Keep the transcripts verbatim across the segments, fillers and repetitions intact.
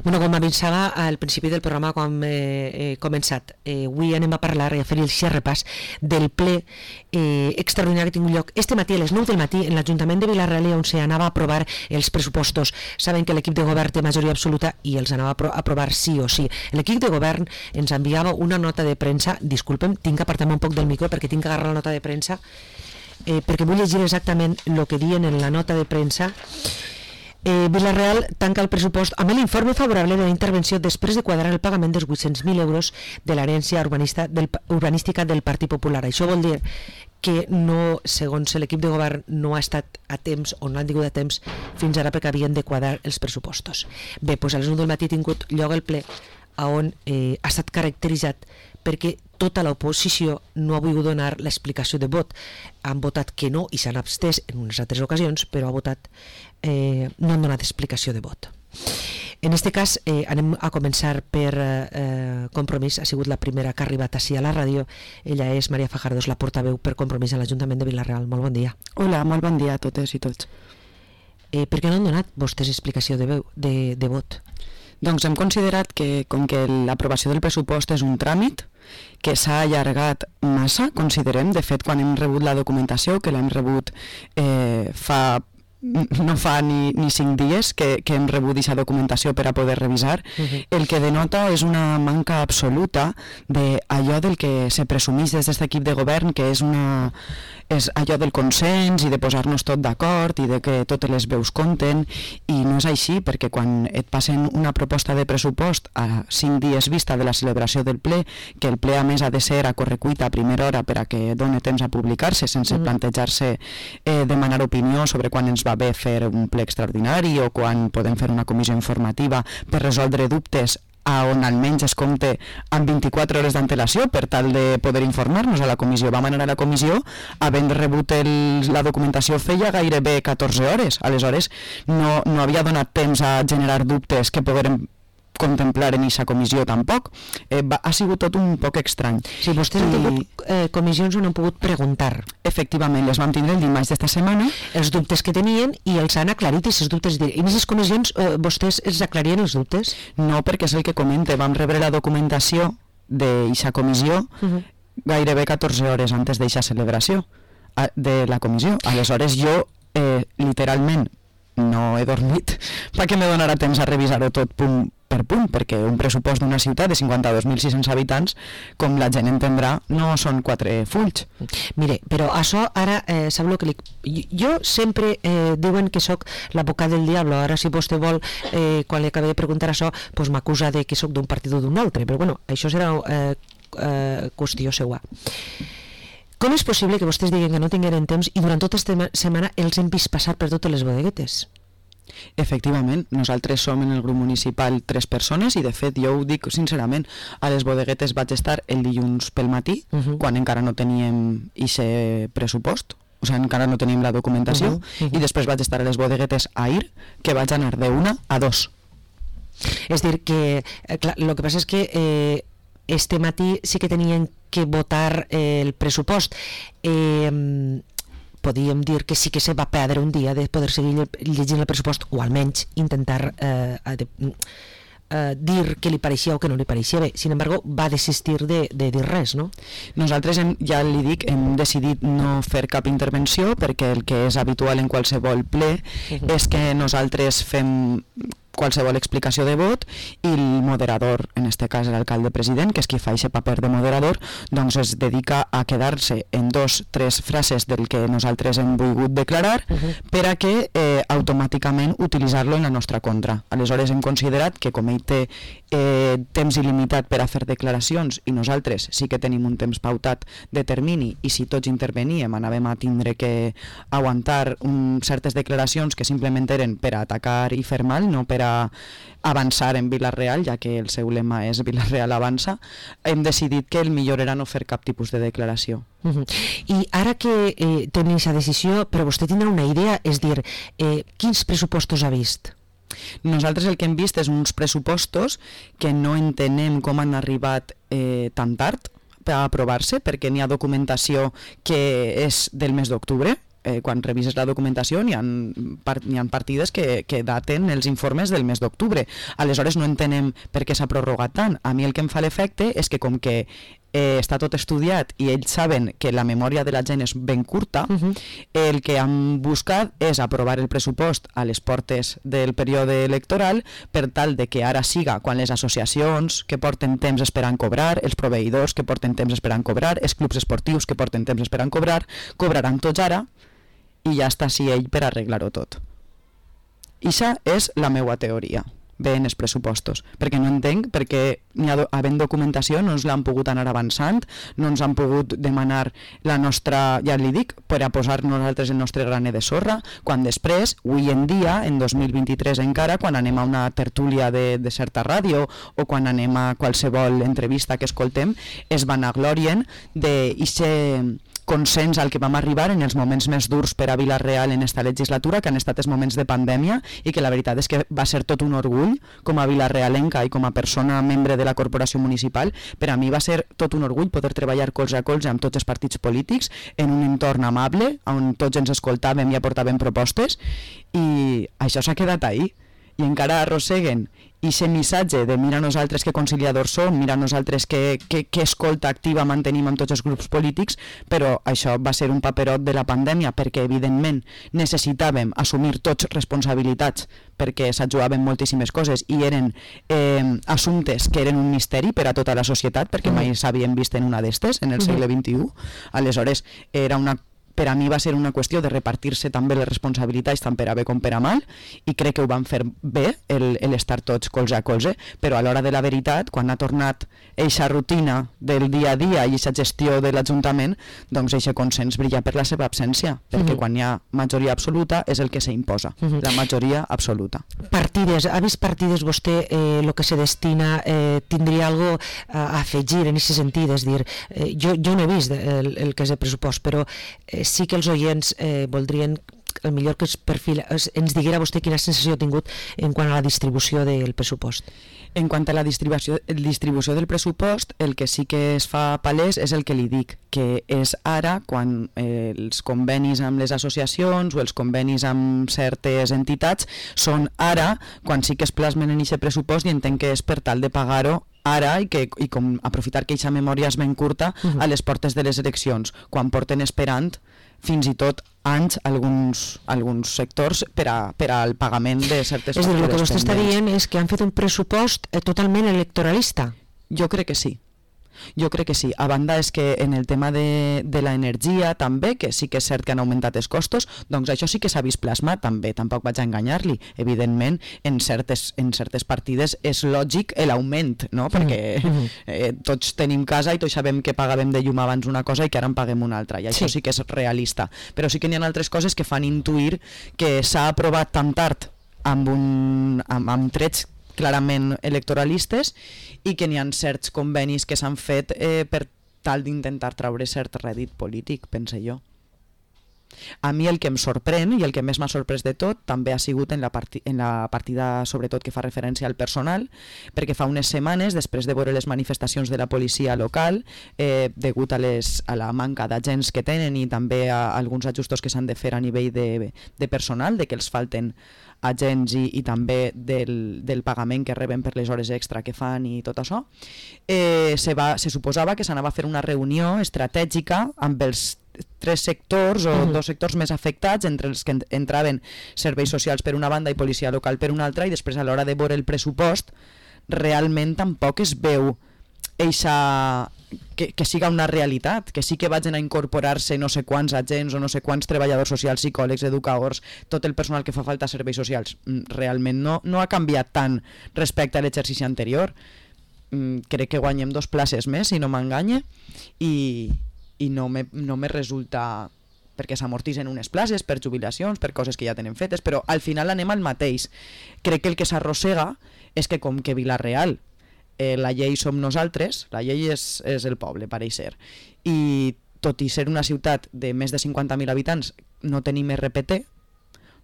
Bueno, com avisava al principi del programa quan he eh, començat, eh, avui anem a parlar i a fer el repàs del ple eh, extraordinari que ha tingut lloc este matí a les nou del matí en l'Ajuntament de Vila-real, on s'anava a aprovar els pressupostos. Saben que l'equip de govern té majoria absoluta i els anava a apro aprovar sí o sí. L'equip de govern ens enviava una nota de premsa, disculpem, tinc que apartar-me un poc del micro perquè tinc que agarrar la nota de premsa, eh, perquè vull llegir exactament el que diuen en la nota de premsa. Eh, Vila-real tanca el pressupost amb l'informe favorable de la intervenció després de quadrar el pagament dels vuit-cents mil euros de l'herència urbanista del, urbanística del Partit Popular. Això vol dir que no, segons l'equip de govern, no ha estat a temps o no han tingut a temps fins ara perquè havien de quadrar els pressupostos. Bé, doncs a les nou del matí ha tingut lloc el ple on eh, ha estat caracteritzat perquè tota l'oposició no ha volgut donar l'explicació de vot. Han votat que no i s'han abstès en unes altres ocasions, però ha votat, eh, no han donat explicació de vot. En aquest cas eh, anem a començar per eh, Compromís. Ha sigut la primera que ha arribat així a la ràdio. Ella és Maria Fajardo, la portaveu per Compromís a l'Ajuntament de Vila-real. Molt bon dia. Hola, molt bon dia a totes i tots. Eh, per què no han donat vostès explicació de, veu, de, de vot? Doncs hem considerat que, com que l'aprovació del pressupost és un tràmit que s'ha allargat massa, considerem, de fet, quan hem rebut la documentació, que l'hem rebut eh, fa... no fa ni, ni cinc dies que, que hem rebut aquesta documentació per a poder revisar, uh-huh. El que denota és una manca absoluta d'allò del que se presumís des d'aquest equip de govern, que és, una, és allò del consens i de posar-nos tot d'acord i de que totes les veus compten, i no és així, perquè quan et passen una proposta de pressupost a cinc dies vista de la celebració del ple, que el ple a més ha de ser a correcuita a primera hora per a que doni temps a publicar-se sense uh-huh. plantejar-se eh, demanar opinió sobre quan ens va bé fer un ple extraordinari o quan podem fer una comissió informativa per resoldre dubtes a on almenys es compte amb vint-i-quatre hores d'antelació per tal de poder informar-nos a la comissió. Vam anar a la comissió havent rebut el, la documentació feia gairebé catorze hores, aleshores no, no havia donat temps a generar dubtes que poguérem contemplar en aquesta comissió tampoc. Eh, va, ha sigut tot un poc estrany. Sí, vostès I... han tingut eh, comissions on han pogut preguntar. Efectivament, les vam tindre el dimarts d'esta setmana. Els dubtes que tenien i els han aclarit aquests dubtes. I en aquestes comissions eh, vostès els aclarien els dubtes? No, perquè és el que comente. Vam rebre la documentació d'aquesta comissió uh-huh. gairebé catorze hores antes d'aquesta celebració de la comissió. Aleshores jo, eh, literalment, no he dormit perquè me donarà temps a revisar-ho tot punt per punt, perquè un pressupost d'una ciutat de cinquanta-dos mil sis-cents habitants, com la gent entendrà, no són quatre fulls. Mire, però això ara, eh, sap el que li... Jo sempre eh, diuen que sóc l'advocat del diablo. Ara si vostè vol, eh, quan li acabé de preguntar això, pues m'acusa de que sóc d'un partit o d'un altre, però bueno, això serà eh, eh, qüestió seua. Com és possible que vostès diguen que no tingueren temps i durant tota aquesta setmana els hem vist passar per totes les bodeguetes? Efectivament, nosaltres som en el grup municipal tres persones i de fet jo ho dic sincerament, a les bodeguetes vaig estar el dilluns pel matí, uh-huh. quan encara no teníem aquest pressupost, o sigui, encara no teníem la documentació, uh-huh. Uh-huh. I després vaig estar a les bodeguetes a ir, que vaig anar d'una a dos. És dir, que eh, clar, el que passa és que eh, este matí sí que tenien que votar eh, el pressupost. Eh, podíem dir que sí que se va perdre un dia de poder seguir llegint el pressupost o almenys intentar eh, de, eh, dir que li pareixia o que no li pareixia bé. Sin embargo, va desistir de, de dir res, no? Nosaltres, hem, ja li dic, hem decidit no fer cap intervenció perquè el que és habitual en qualsevol ple uh-huh. és que nosaltres fem qualsevol explicació de vot i el moderador, en este cas l'alcalde president, que és qui fa aquest paper de moderador, doncs es dedica a quedar-se en dos, tres frases del que nosaltres hem volgut declarar uh-huh. per a que eh, automàticament utilitzar-lo en la nostra contra. Aleshores hem considerat que com ell té eh, temps il·limitat per a fer declaracions i nosaltres sí que tenim un temps pautat de termini i si tots interveníem anàvem a tindre que aguantar un, certes declaracions que simplement eren per a atacar i fer mal, no per a avançar en Vila-real, ja que el seu lema és Vila-real avança, hem decidit que el millor era no fer cap tipus de declaració. Uh-huh. I ara que eh, tenim aquesta decisió, però vostè tindrà una idea, és dir, eh, quins pressupostos ha vist? Nosaltres el que hem vist és uns pressupostos que no entenem com han arribat eh, tan tard per aprovar-se, perquè n'hi ha documentació que és del mes d'octubre eh, quan revises la documentació n'hi ha, part, n'hi ha partides que, que daten els informes del mes d'octubre. Aleshores no entenem per què s'ha prorrogat tant. A mi el que em fa l'efecte és que com que eh, està tot estudiat i ells saben que la memòria de la gent és ben curta, uh-huh. el que han buscat és aprovar el pressupost a les portes del període electoral per tal de que ara siga quan les associacions que porten temps esperant cobrar, els proveïdors que porten temps esperant cobrar, els clubs esportius que porten temps esperant cobrar, cobraran tots ara i ja està si ell per arreglar-ho tot. Ixa és la meua teoria. Bé en els pressupostos, perquè no entenc perquè n'hi ha, havent documentació no ens l'han pogut anar avançant, no ens han pogut demanar la nostra, ja li dic, per a posar nosaltres el nostre graner de sorra, quan després, avui en dia, en dos mil vint-i-tres encara, quan anem a una tertúlia de, de certa ràdio o quan anem a qualsevol entrevista que escoltem, es vanaglorien d'eixe consens al que vam arribar en els moments més durs per a Vila-real en esta legislatura, que han estat els moments de pandèmia, i que la veritat és que va ser tot un orgull com a vilarealenca i com a persona membre de la corporació municipal. Per a mi va ser tot un orgull poder treballar colze a colze amb tots els partits polítics en un entorn amable, on tots ens escoltàvem i aportàvem propostes, i això s'ha quedat ahí. I encara arrosseguen i aquest missatge de mira nosaltres que conciliadors som, mira nosaltres que, que, que escolta activa mantenim amb tots els grups polítics, però això va ser un paperot de la pandèmia perquè evidentment necessitàvem assumir tots responsabilitats perquè s'ajudaven moltíssimes coses i eren eh, assumptes que eren un misteri per a tota la societat perquè mai s'havien vist en una d'estes en el segle vint-i-u. Aleshores era una per a mi va ser una qüestió de repartir-se també les responsabilitats tant per a bé com per a mal i crec que ho van fer bé l'estar tots colze a colze, però a l'hora de la veritat, quan ha tornat eixa rutina del dia a dia i eixa gestió de l'Ajuntament, doncs eixe consens brilla per la seva absència, perquè mm-hmm. quan hi ha majoria absoluta és el que s'imposa, mm-hmm. la majoria absoluta. Partides, ha vist partides vostè eh, lo que se destina, eh, tindria algo a afegir en aquest sentit, és dir, eh, jo, jo no he vist el, el que és el pressupost, però eh, sí que els oients eh, voldrien el millor que es perfil, es, ens diguera vostè quina sensació ha tingut en quant a la distribució del pressupost. En quant a la distribució, distribució del pressupost, el que sí que es fa palès és el que li dic, que és ara quan eh, els convenis amb les associacions o els convenis amb certes entitats són ara quan sí que es plasmen en aquest pressupost i entenc que és per tal de pagar-ho ara i, que, i com aprofitar que aquesta memòria és ben curta uh-huh. a les portes de les eleccions, quan porten esperant fins i tot anys alguns, alguns sectors per, a, per al pagament de certes factures. És a dir, el que vostè pendents. està dient és que han fet un pressupost eh, totalment electoralista. Jo crec que sí. Jo crec que sí. A banda és que en el tema de, de l'energia també, que sí que és cert que han augmentat els costos, doncs això sí que s'ha vist plasmat també, tampoc vaig a enganyar-li. Evidentment, en certes, en certes partides és lògic l'augment, no? Perquè eh, tots tenim casa i tots sabem que pagàvem de llum abans una cosa i que ara en paguem una altra, i això sí, sí que és realista. Però sí que n'hi ha altres coses que fan intuir que s'ha aprovat tan tard amb, un, amb, amb trets clarament electoralistes i que n'hi ha certs convenis que s'han fet eh, per tal d'intentar traure cert rèdit polític, pense jo. A mi el que em sorprèn i el que més m'ha sorprès de tot també ha sigut en la, parti en la partida sobretot que fa referència al personal, perquè fa unes setmanes, després de veure les manifestacions de la policia local, eh, degut a, les, a la manca d'agents que tenen i també a alguns ajustos que s'han de fer a nivell de, de personal, de que els falten agents i, i també del, del pagament que reben per les hores extra que fan i tot això, eh, se, va, se suposava que s'anava a fer una reunió estratègica amb els tres sectors o uh-huh. dos sectors més afectats, entre els que entraven serveis socials per una banda i policia local per una altra, i després a l'hora de veure el pressupost realment tampoc es veu eixa... Que, que siga una realitat, que sí que vagin a incorporar-se no sé quants agents o no sé quants treballadors socials, psicòlegs, educadors, tot el personal que fa falta a serveis socials. Realment no, no ha canviat tant respecte a l'exercici anterior. Crec que guanyem dos places més, si no m'enganye, i, i no me, no me resulta... perquè s'amortitzen unes places per jubilacions, per coses que ja tenen fetes, però al final anem al mateix. Crec que el que s'arrossega és que com que Vila-real Eh, la llei som nosaltres, la llei és, és el poble, pareix ser, i tot i ser una ciutat de més de cinquanta mil habitants no tenim R P T,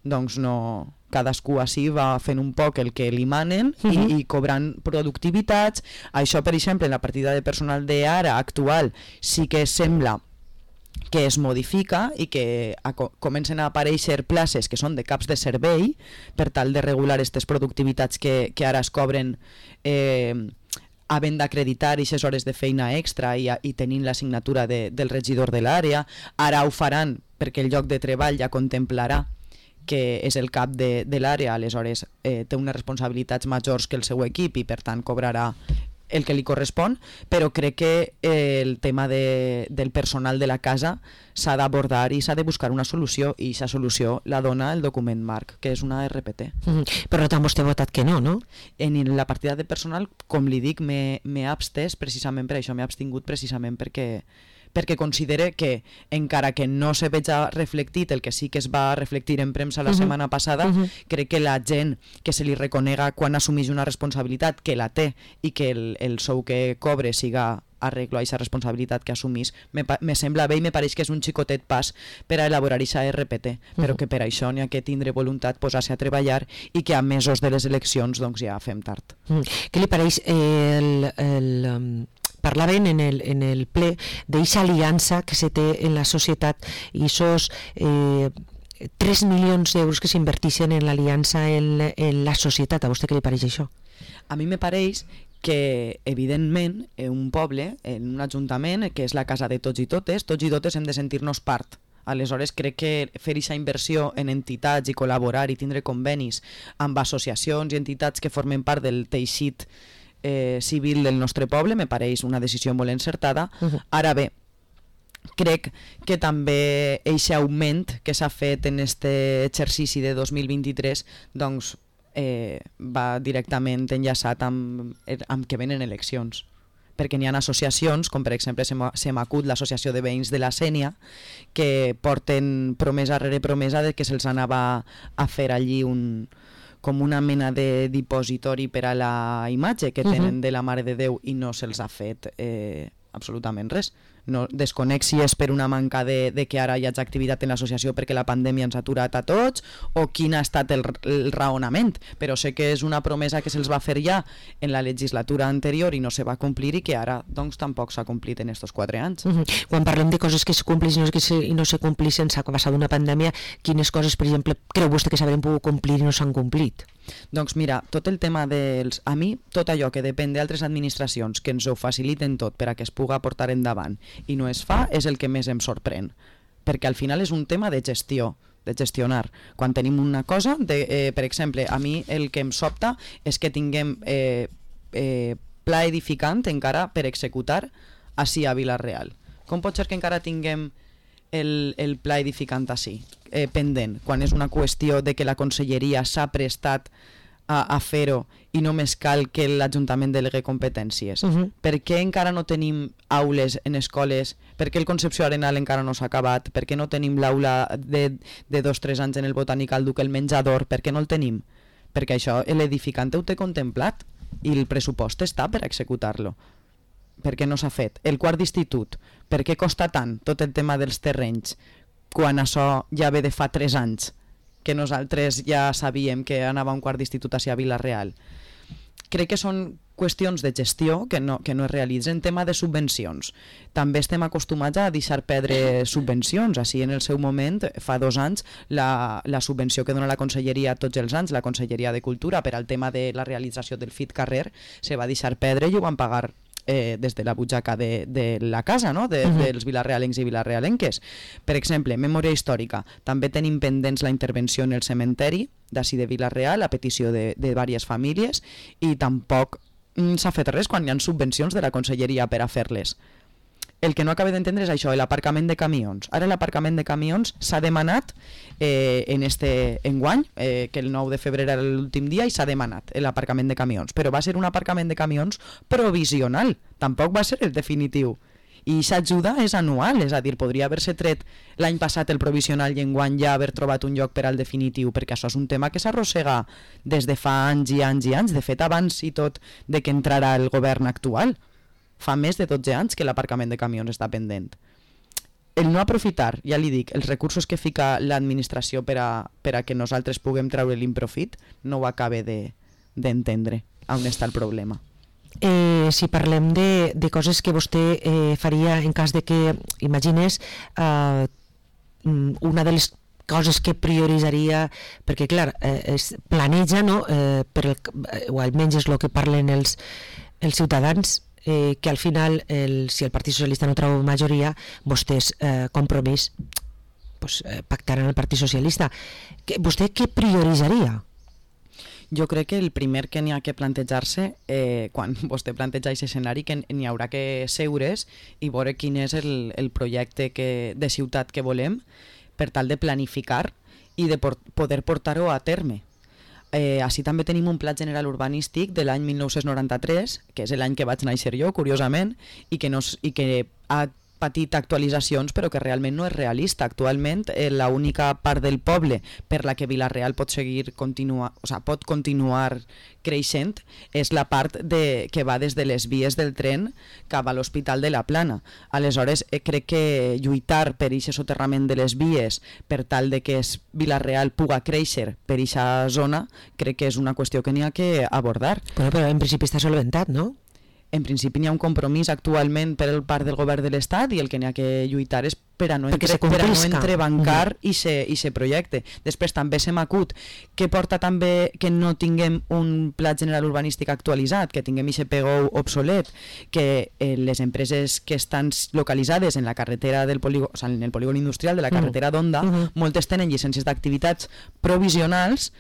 doncs no, cadascú així va fent un poc el que li manen uh-huh. i, i cobrant productivitats. Això, per exemple, en la partida de personal d'ara actual sí que sembla que es modifica i que a, comencen a aparèixer places que són de caps de servei per tal de regular aquestes productivitats que, que ara es cobren eh, havent d'acreditar aquestes hores de feina extra i, i tenint la signatura de, del regidor de l'àrea. Ara ho faran perquè el lloc de treball ja contemplarà que és el cap de, de l'àrea, aleshores eh, té unes responsabilitats majors que el seu equip i per tant cobrarà el que li correspon, però crec que eh, el tema de, del personal de la casa s'ha d'abordar i s'ha de buscar una solució, i aquesta solució la dona el document marc, que és una R P T. Mm, per tant, vostè ha votat que no, no? En la partida de personal, com li dic, m'he abstès precisament per això, m'he abstingut precisament perquè perquè considere que, encara que no se veja reflectit el que sí que es va reflectir en premsa la uh -huh. setmana passada, uh -huh. crec que la gent que se li reconega quan assumeix una responsabilitat, que la té, i que el, el sou que cobre siga arreglo a aquesta responsabilitat que assumís, me, me sembla bé i me pareix que és un xicotet pas per a elaborar aquesta R P T, però uh -huh. que per això n'hi ha que tindre voluntat, posar-se a treballar, i que a mesos de les eleccions doncs ja fem tard. Uh -huh. Què li pareix eh, el... el um... parlaven en el, en el ple d'eixa aliança que se té en la societat i esos eh, tres milions d'euros que s'inverteixen en l'aliança en, en la societat. A vostè què li pareix això? A mi me pareix que, evidentment, en un poble, en un ajuntament, que és la casa de tots i totes, tots i totes hem de sentir-nos part. Aleshores, crec que fer aquesta inversió en entitats i col·laborar i tindre convenis amb associacions i entitats que formen part del teixit Eh, civil del nostre poble me pareix una decisió molt encertada. Uh-huh. Ara bé, crec que també aquest augment que s'ha fet en aquest exercici de dos mil vint-i-tres doncs, eh, va directament enllaçat amb, amb que venen eleccions, perquè n'hi ha associacions, com per exemple se m'acut l'associació de veïns de la Sénia, que porten promesa rere promesa de que se'ls anava a fer allí un com una mena de dipositori per a la imatge que tenen uh-huh. de la Mare de Déu, i no se'ls ha fet eh, absolutament res. No, desconec si és per una manca de, de que ara hi hagi activitat en l'associació perquè la pandèmia ens ha aturat a tots, o quin ha estat el, el raonament, però sé que és una promesa que se'ls va fer ja en la legislatura anterior i no se va complir, i que ara doncs tampoc s'ha complit en estos quatre anys. Uh-huh. Quan parlem de coses que se compleixen i no, se, i no se compleixen, s'ha passat una pandèmia, quines coses, per exemple, creu vostè que s'haurien pogut complir i no s'han complit? Doncs mira, tot el tema dels... A mi, tot allò que depèn d'altres administracions que ens ho faciliten tot per a que es puga portar endavant i no es fa, és el que més em sorprèn. Perquè al final és un tema de gestió, de gestionar. Quan tenim una cosa, de, eh, per exemple, a mi el que em sobta és que tinguem eh, eh, pla edificant encara per executar així a Vila-real. Com pot ser que encara tinguem el, el pla edificant així, eh, pendent, quan és una qüestió de que la conselleria s'ha prestat a, a fer-ho i només cal que l'Ajuntament delegui competències? Uh-huh. Per què encara no tenim aules en escoles? Per què el Concepció Arenal encara no s'ha acabat? Per què no tenim l'aula de, de dos o tres anys en el Botànic al Duc, el menjador? Per què no el tenim? Perquè això l'edificant ho té contemplat i el pressupost està per executar-lo. Per què no s'ha fet? El quart d'institut, per què costa tant tot el tema dels terrenys quan això ja ve de fa tres anys que nosaltres ja sabíem que anava un quart d'institut hacia Vila-real? Crec que són qüestions de gestió que no, que no es realitzen. Tema de subvencions, també estem acostumats a deixar perdre subvencions. Així en el seu moment, fa dos anys, la, la subvenció que dona la Conselleria tots els anys, la Conselleria de Cultura, per al tema de la realització del Fit Carrer, se va deixar perdre i ho van pagar Eh, des de la butxaca de, de la casa, no? de, uh-huh. dels vilarrealencs i vilarrealenques. Per exemple, memòria històrica, també tenim pendents la intervenció en el cementeri d'ací de Vila-real a petició de, de diverses famílies, i tampoc mm, s'ha fet res quan hi ha subvencions de la Conselleria per a fer-les. El que no acabo d'entendre és això, l'aparcament de camions. Ara l'aparcament de camions s'ha demanat eh, en este enguany, eh, que el nou de febrer era l'últim dia, i s'ha demanat l'aparcament de camions, però va ser un aparcament de camions provisional, tampoc va ser el definitiu. I aquesta ajuda és anual, és a dir, podria haver-se tret l'any passat el provisional i enguany ja haver trobat un lloc per al definitiu, perquè això és un tema que s'arrossega des de fa anys i anys i anys, de fet abans i tot de que entrarà el govern actual. Fa més de dotze anys que l'aparcament de camions està pendent. El no aprofitar, ja li dic, els recursos que fica l'administració per a, per a que nosaltres puguem treure l'improfit, no ho acabe de, d'entendre on està el problema. eh, si parlem de, de coses que vostè eh, faria en cas de que, imagines, eh, una de les coses que prioritzaria, perquè clar, eh, es planeja, no? eh, per el, o almenys és el que parlen els, els ciutadans, eh, que al final, el, si el Partit Socialista no treu majoria, vostès, eh, Compromís, pues, eh, pactaran el Partit Socialista. Que, vostè què prioritzaria? Jo crec que el primer que n'hi ha que plantejar-se, eh, quan vostè planteja aquest escenari, que n'hi haurà que seure's i veure quin és el, el projecte que, de ciutat que volem, per tal de planificar i de por, poder portar-ho a terme. Eh, així també tenim un pla general urbanístic de l'any mil nou-cents noranta-tres, que és l'any que vaig néixer jo, curiosament, i que, no, i que ha patit actualitzacions, però que realment no és realista. Actualment, eh, l'única part del poble per la que Vila-real pot seguir continua, o sea, pot continuar creixent és la part de, que va des de les vies del tren cap a l'Hospital de la Plana. Aleshores, eh, crec que lluitar per aquest soterrament de les vies per tal de que Vila-real puga créixer per aquesta zona, crec que és una qüestió que n'hi ha que abordar. Bueno, però en principi està solventat, no? En principi n'hi ha un compromís actualment per el part del govern de l'Estat i el que n'hi ha que lluitar és per a no, entre, per a no entrebancar i mm. se projecte. Després també se m'acut que porta també que no tinguem un pla general urbanístic actualitzat, que tinguem aquest P G O obsolet, que eh, les empreses que estan localitzades en la carretera del polígon, o sigui, en el polígon industrial de la carretera d'Onda, mm. mm. moltes tenen llicències d'activitats provisionals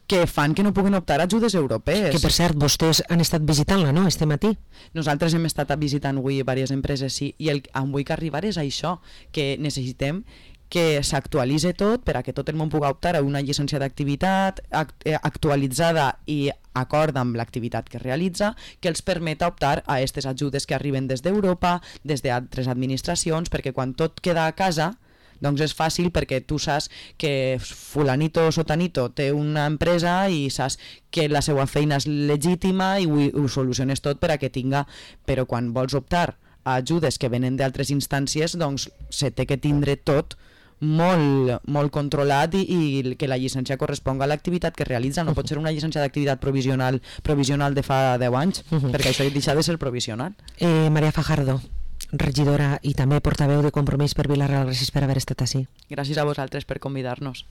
que fan que no puguen optar a ajudes europees. Que, per cert, vostès han estat visitant-la, no?, este matí. Nosaltres hem estat visitant avui diverses empreses, sí, i el on vull que arribar és això, que necessitem que s'actualitzi tot per a que tot el món pugui optar a una llicència d'activitat actualitzada i acord amb l'activitat que realitza, que els permeta optar a aquestes ajudes que arriben des d'Europa, des d'altres administracions, perquè quan tot queda a casa, doncs és fàcil perquè tu saps que fulanito o sotanito té una empresa i saps que la seva feina és legítima i ho, ho soluciones tot per a que tinga, però quan vols optar a ajudes que venen d'altres instàncies, doncs se té que tindre tot molt, molt controlat i, i que la llicència corresponga a l'activitat que realitza. No pot ser una llicència d'activitat provisional provisional de fa deu anys, uh -huh. perquè això deixa de ser provisional. Eh, Maria Fajardo, regidora i també portaveu de Compromís per Vila-real, gràcies per haver estat així. Gràcies a vosaltres per convidar-nos.